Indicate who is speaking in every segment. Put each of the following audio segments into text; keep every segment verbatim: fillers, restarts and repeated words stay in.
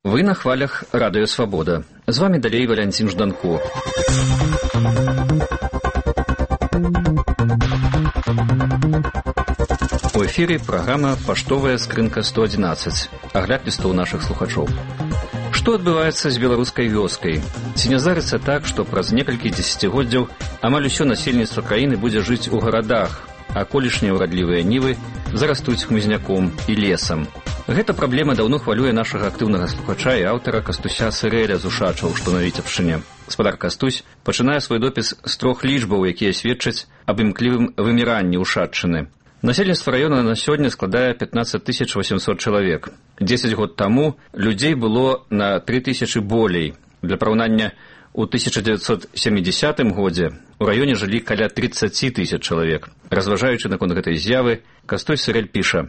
Speaker 1: Вы на хвалях Радыё Свабода. З вами далей Валянцін Жданко. У эфіры праграма «Паштовая скрынка сто адзінаццаць». Агляд лістоў нашых слухачоў. Што адбываецца з беларускай вёскай? Ці не здарыцца так, што праз некалькі дзесяцігоддзяў амаль усё насельніцтва краіны будзе жыць у гарадах, а колішнія ўрадлівыя нівы зарастуць хмызняком і лесам? Гэта праблема даўно хвалюе нашага актыўнага слухача і аўтара Кастуся Сырэля з Ушачаў, што на Віцебшчыне. Гаспадар Кастусь пачынае свой допіс з трох лічбаў, якія сведчаць аб імклівым выміранні Ушаччыны. Насельніцтва раёна на сёння складае пятнаццаць тысяч восемьсот чалавек. дзесяць год таму людзей было на тры тысячы болей. Для параўнання, у тысяча дзевяцьсот сямідзясятым годзе у раёне жылі каля тридцать тысяч чалавек. Разважаючы наконт гэтай з'явы, Кастусь Сырэль піша: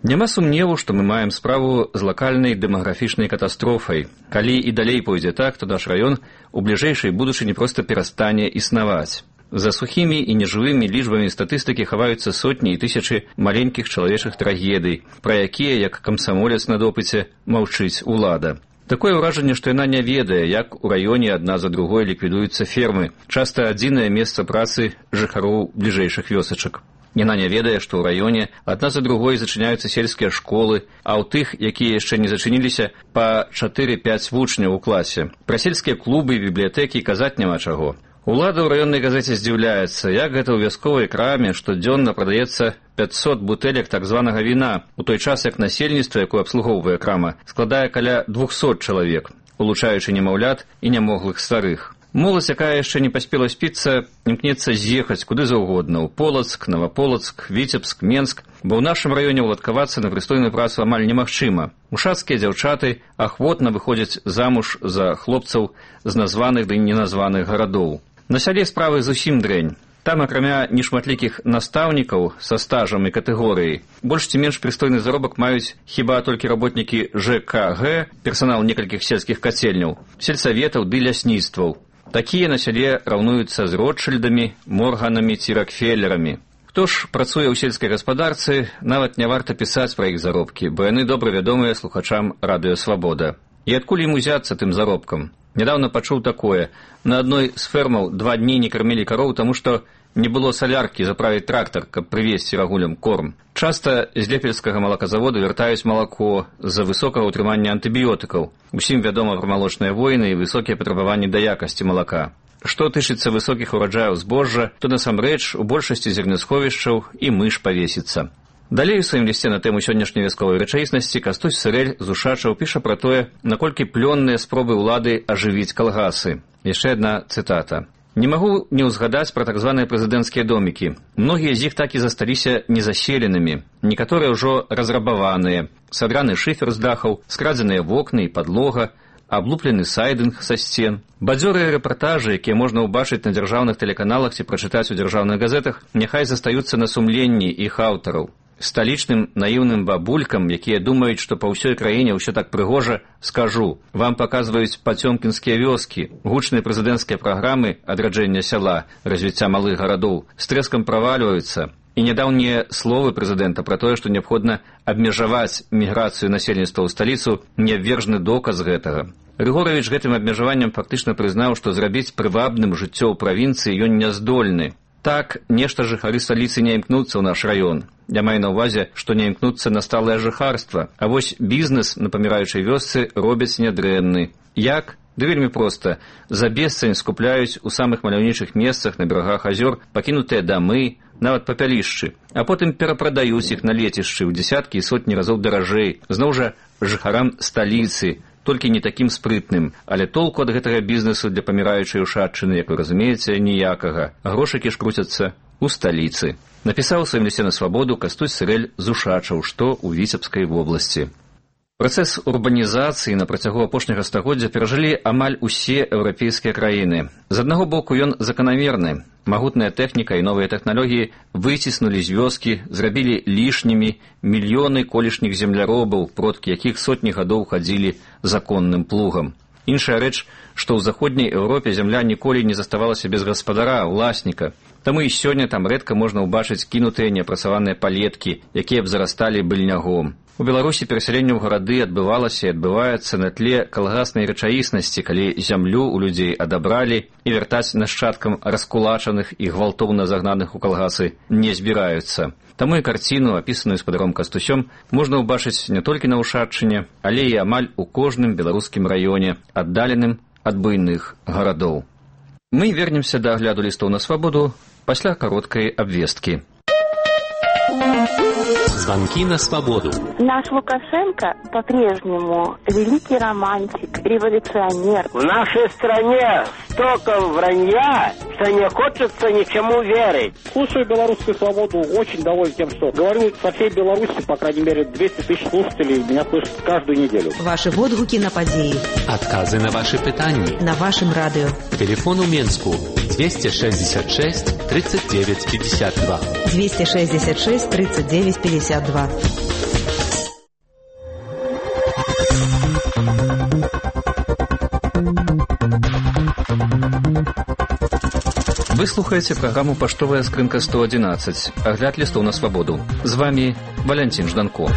Speaker 1: «Няма сумневу, што мы маем справу з лакальнай дэмаграфічнай катастрофай. Калі і далей пойдзе так, то наш раён у бліжэйшай будучыні проста перастане існаваць. За сухімі і нежывымі лічбамі статыстыкі хаваюцца сотні і тысячы маленькіх чалавечых трагедый, пра якія, як камсамолец на допыце, маўчыць улада. Такое ўражанне, што яна не ведае, як у раёне адна за другой ліквідуюцца фермы, часта адзінае месца працы жыхароў бліжэйшых вёсачак. Яна не ведае, што ў раёне адна за другой зачыняюцца сельскія школы, а ў тых, якія яшчэ не зачыніліся, па чатыры-пяць вучняў у класе. Пра сельскія клубы і бібліятэкі казаць няма чаго. Улада ў раённай газеце здзіўляецца, як гэта ў вясковай краме штодзённа прадаецца пятьсот бутэлек так званага віна, у той час як насельніцтва, якое абслугоўвае крама, складае каля двухсот чалавек, улучаючы немаўлят і нямоглых старых. Моладзь, якая яшчэ не паспела спіцца, імкнецца з'ехаць куды заўгодна, у Полацк, Наваполацк, Віцебск, Менск, бо ў нашым раёне ўладкавацца на прыстойную працу амаль немагчыма. Ушацкія дзяўчаты ахвотна выходзяць замуж за хлопцаў з названых ды неназваных гарадоў. На сяле справы зусім дрэнь. Там, акрамя нешматлікіх настаўнікаў са стажам і катэгорыяй, больш ці менш прыстойны заробак маюць хіба толькі работнікі жэ ка гэ, персанал некалькіх сельскіх кацельняў, сельсаветаў ды лясніцтваў. Такія на сяле раўнуюцца з Ротшильдамі, Морганамі ці Рокфеллерамі. Хто ж працуе ў сельскай гаспадарцы, нават не варта пісаць пра іх заробкі, бо яны добра вядомыя слухачам Радыё Свабода. І адкуль ім узяцца тым заробкам? Нядаўна пачуў такое. На адной з фермаў два дні не кармілі кароў, таму што не было саляркі заправіць трактар, каб прывезці рагулям корм. Часта з лепельскага малаказавода вяртаюць малако з-за высокага ўтрымання антыбіётыкаў. Усім вядома пра малочныя войны і высокія патрабаванні да якасці малака. Што тычыцца высокіх ураджаяў збожжа, то насамрэч у большасці зернесховішчаў і мыш павесіцца. Далей у сваім лісце на тэму сённяшняй вясковай рэчаіснасці Кастусь Сырэль з Ушачаў піша пра тое, наколькі плённыя спробы ўлады ажывіць калгасы. Яшчэ адна цытата. «Не магу не ўзгадаць пра так званыя прэзідэнцкія домікі. Многія з іх так і засталіся незаселенымі. Некаторыя ўжо разрабаваныя. Садраны шыфер з дахаў, скрадзеныя вокны і падлога, аблуплены сайдынг са сцен. Бадзёрыя рэпартажы, якія можна ўбачыць на дзяржаўных тэлеканалах ці прачытаць у дзяржаўных газетах, няхай застаюцца на сумленні іх аўтараў. Сталічным наіўным бабулькам, якія думаюць, што па ўсёй краіне ўсё так прыгожа, скажу, вам паказваюць пацёмкінскія вёскі, гучныя прэзідэнцкія праграмы адраджэння сяла, развіцця малых гарадоў, з трэскам правальваюцца. І нядаўнія словы прэзідэнта пра тое, што неабходна абмежаваць міграцыю насельніцтва ў сталіцу, неабвержны доказ гэтага. Рыгоравіч гэтым абмежаваннем фактычна прызнаў, што зрабіць прывабным жыццё ў правінцыі ён не здольны. Так, нешта жыхары сталіцы не імкнуцца ў наш раён. Я маю на ўвазе, што не імкнуцца на сталае жыхарства, а вось бізнес на паміраючай вёсцы робяць нядрэнны. Як? Да вельмі проста. За бесцань скупляюць у самых маляўнічых месцах на берагах азёр пакінутыя дамы, нават папялішчы, а потым перапрадаюць іх на лецішчы ў дзесяткі і сотні разоў даражэй, зноў жа жыхарам сталіцы, толькі не такім спрытным, але толку ад гэтага бізнесу для паміраючай Ушаччыны, як вы разумееце, ніякага. Грошыкі ж круцяцца ў сталіцы. Напісаў у сваім лісце на Свабоду Кастусь Сырэль з Ушачаў, што ў Віцебскай вобласці. Працэс урбанізацыі на працягу апошняга стагоддзя перажылі амаль усе еўрапейскія краіны. З аднаго боку ён заканамерны. Магутная тэхніка і новыя тэхналогіі выціснулі з вёскі, зрабілі лішнімі мільёны колішніх земляробаў, продкі якіх сотні гадоў хадзілі законным плугам. Іншая рэч, што ў заходняй Еўропе зямля ніколі не заставалася без гаспадара, уласніка. Таму і сёння там рэдка можна ўбачыць кінутыя неапрацаваныя палеткі, якія б зарасталі быльнягом. У Беларусі перасяленне ў гарады адбывалася і адбываецца на тле калгаснай рэчаіснасці, калі зямлю ў людзей адабралі і вяртаць нашчадкам раскулачаных і гвалтоўна загнаных у калгасы не збіраюцца. Таму і карціну, апісаную спадаром Кастусём, можна ўбачыць не толькі на Ушаччыне, але і амаль у кожным беларускім раёне, аддаленым ад буйных гарадоў. Мы вернемся да агляду лістоў на свабоду пасля кароткай абвесткі.
Speaker 2: Звонки на свободу.
Speaker 3: Наш Лукашенко по-прежнему великий романтик, революционер.
Speaker 4: В нашей стране столько вранья, что не хочется ничему верить.
Speaker 5: Слушаю белорусскую свободу, очень доволен тем, что говорю со всей Беларуси, по крайней мере, двести тысяч слушателей меня слышат каждую неделю.
Speaker 6: Ваши водгуки на подеи.
Speaker 2: Отказы на ваши питания.
Speaker 6: На вашем радио.
Speaker 2: Телефон у Менску двести шестьдесят шесть тридцать девять пятьдесят два.
Speaker 6: двести шестьдесят шесть тридцать девять пятьдесят два.
Speaker 1: Вы слухаеце праграму «Паштовая скрынка сто одиннадцать», агляд лістоў на свабоду. З вами Валянцін Жданко.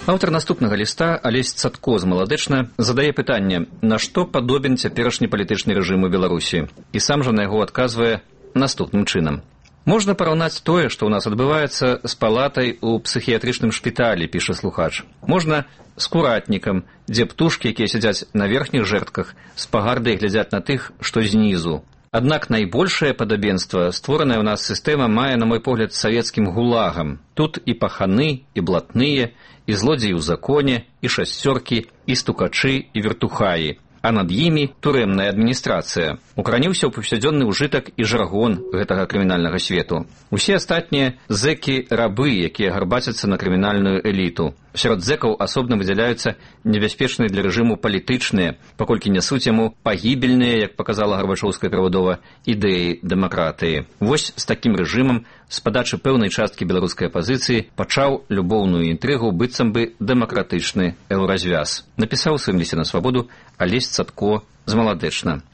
Speaker 1: Аўтар наступнага ліста, Алесь Цатко з Маладэчна, задае пытанне, на што падобен цяперашні палітычны рэжым у Беларусі, і сам жа на яго адказвае наступным чынам. Можна параўнаць тое, што ў нас адбываецца з палатай у псіхіятрычным шпіталі, піша слухач. Можна з куратнікам, дзе птушкі, якія сядзяць на верхніх жэрдках, з пагардай глядзяць на тых, што знізу. Аднак найбольшае падабенства створаная ў нас сістэма мае, на мой погляд, савецкім гулагам. Тут і паханы, і блатныя, і злодзеі ў законе, і шасцёркі, і стукачы, і вертухаі. А над імі турэмная адміністрацыя. Укараніўся ў паўсядзённы ўжытак і жаргон гэтага крымінальнага свету. Усе астатнія зэкі-рабы, якія гарбацяцца на крымінальную эліту. Сярод зэкаў асобна выдзяляюцца небяспечныя для рэжыму палітычныя, паколькі нясуць яму пагібельныя, як паказала Гарбачоўская перавадова, ідэі дэмакратыі. Вось з такім рэжымам з падачы пэўнай часткі беларускай апазіцыі пачаў любоўную інтрыгу быццам бы дэмакратычны еўразвяз. Напісаў у сваім лісце на свабоду Алесь Цатко з Маладэчна.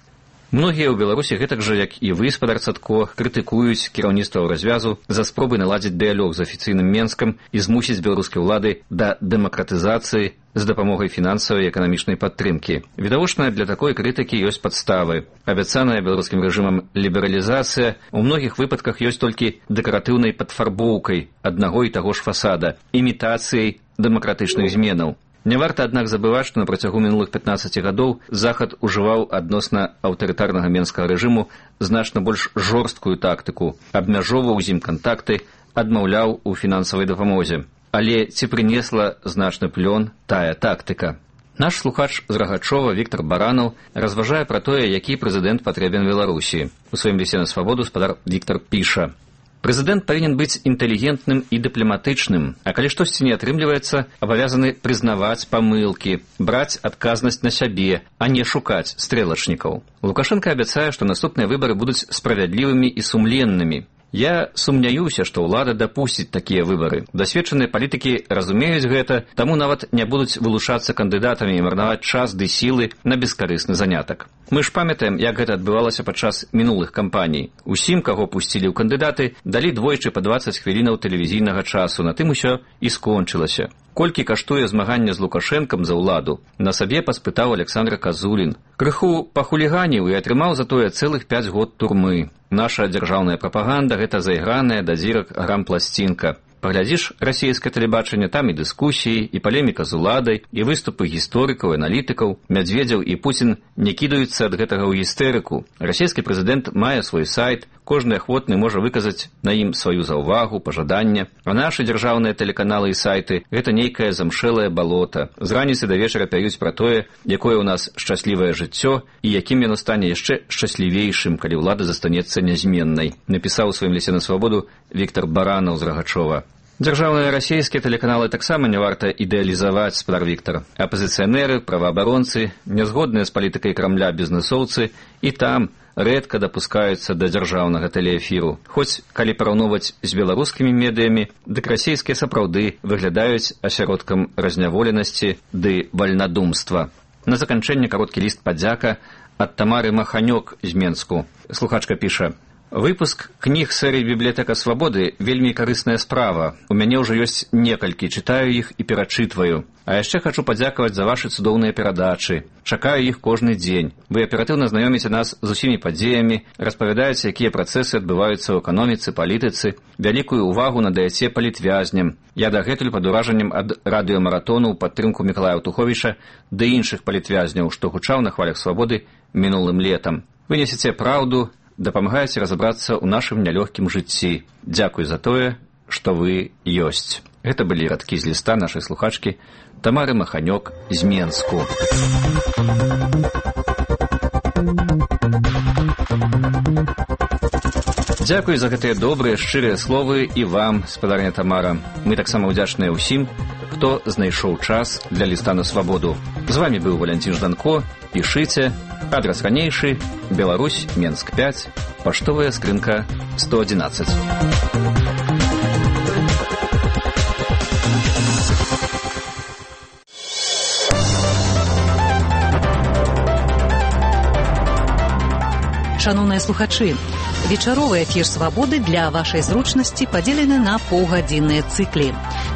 Speaker 1: Многія ў Беларусі, гэтак жа, як і вы, спадар Цатко, крытыкуюць кіраўніцтва развязу за спробы наладзіць дыялог з афіцыйным Менскам і змусіць беларускай улады да дэмакратызацыі з дапамогай фінансавай і эканамічнай падтрымкі. Відавочна, для такой крытыкі ёсць падставы. Абяцаная беларускім рэжымам лібералізацыя ў многіх выпадках ёсць толькі дэкаратыўнай падфарбоўкай аднаго і таго ж фасада, імітацыяй дэмакратычных зменаў. Не варта, аднак, забываць, што на працягу мінулых пятнаццаці гадоў Захад ужываў адносна аўтарытарнага менскага рэжыму значна больш жорсткую тактыку, абмяжоўваў з ім кантакты, адмаўляў у фінансавай дапамозе. Але ці прынесла значны плён тая тактыка? Наш слухач з Рагачова Віктор Баранаў разважае пра тое, які прэзідэнт патрэбен Беларусі. У сваім лісце на свабоду спадар Віктор піша: Прэзідэнт павінен быць інтэлігентным і дыпламатычным, а калі штосьці не атрымліваецца, абавязаны прызнаваць памылкі, браць адказнасць на сябе, а не шукаць стрэлачнікаў. Лукашенко абяцае, што наступныя выбары будуць справядлівымі і сумленнымі. Я сумняюся, што ўлада дапусціць такія выбары. Дасведчаныя палітыкі разумеюць гэта, таму нават не будуць вылучацца кандыдатамі і марнаваць час ды сілы на бескарысны занятак. Мы ж памятаем, як гэта адбывалася падчас мінулых кампаній. Усім, каго пусцілі ў кандыдаты, далі двойчы па дваццаць хвілінаў тэлевізійнага часу. На тым усё і скончылася. Колькі каштуе змаганне з Лукашэнкам за ўладу, на сабе паспытаў Александр Казулін. Крыху пахуліганіў і атрымаў затое цэлых пяць год турмы. Наша дзяржаўная прапаганда — гэта зайграная да дзірак грампласцінка. Паглядзіш расійскае тэлебачанне, там і дыскусіі, і палеміка з уладай, і выступы гісторыкаў, аналітыкаў. Мядзведзеў і Пуцін не кідаюцца ад гэтага ў гістэрыку. Расійскі прэзідэнт мае свой сайт, кожны ахвотны можа выказаць на ім сваю заўвагу, пажаданне. А нашы дзяржаўныя тэлеканалы і сайты — гэта нейкае замшэлае балота. З раніцы да вечара пяюць пра тое, якое ў нас шчаслівае жыццё і якім яно стане яшчэ шчаслівейшым, калі ўлада застанецца нязменнай. Напісаў у сваім лісце на свабоду Віктор Баранаў з Рагачова. Дзяржаўныя расійскія тэлеканалы таксама не варта ідэалізаваць, спадар Віктар. Апазіцыянеры, праваабаронцы, нязгодныя з палітыкай Крамля бізнэсоўцы і там рэдка дапускаюцца да дзяржаўнага тэлеэфіру. Хоць, калі параўноўваць з беларускімі медыямі, дык расійскія сапраўды выглядаюць асяродкам разняволенасці ды вальнадумства. На заканчэнне кароткі ліст падзяка ад Тамары Маханёк з Менску. Слухачка піша: Выпуск кніг серыі «Бібліятэка свабоды» вельмі карысная справа. У мяне ўжо ёсць некалькі, чытаю іх і перачытваю. А яшчэ хачу падзякаваць за вашы цудоўныя перадачы. Чакаю іх кожны дзень. Вы аператыўна знаёміце нас з усімі падзеямі, распавядаеце, якія працэсы адбываюцца ў эканоміцы, палітыцы, вялікую ўвагу надаяце палітвязням. Я дагэтуль пад уражаннем ад радыёмаратону ў падтрымку Мікалая Аўтуховіча ды іншых палітвязняў, што гучаў на хвалях свабоды мінулым летам. Вы несеце праўду, дапамагаеце разабрацца ў нашым нялёгкім жыцці. Дзякуй за тое, што вы ёсць. Гэта былі радкі з ліста нашай слухачкі Тамары Маханёк з Менску. Дзякуй за гэтыя добрыя, шчырыя словы і вам, спадарня Тамара. Мы таксама ўдзячныя ўсім, хто знайшоў час для ліста на свабоду. З вамі быў Валянцін Жданко. Пішыце. Адрас ранейшы. Беларусь, Менск пяць. Паштовая скрынка сто адзінаццаць.
Speaker 6: Шановныя слухачы, вечаровы эфір «Свабоды» для вашай зручнасці падзелены на паўгадзінныя цыклі.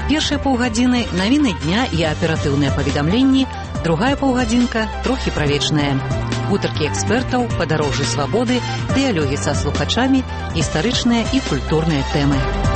Speaker 6: Першыя паўгадзіны – навіны дня і аператыўныя паведамленні, другая паўгадзінка – трохі правечная. Гутаркі экспертаў, падарожжы свабоды, дыялогі са слухачамі, гістарычныя і культурныя тэмы.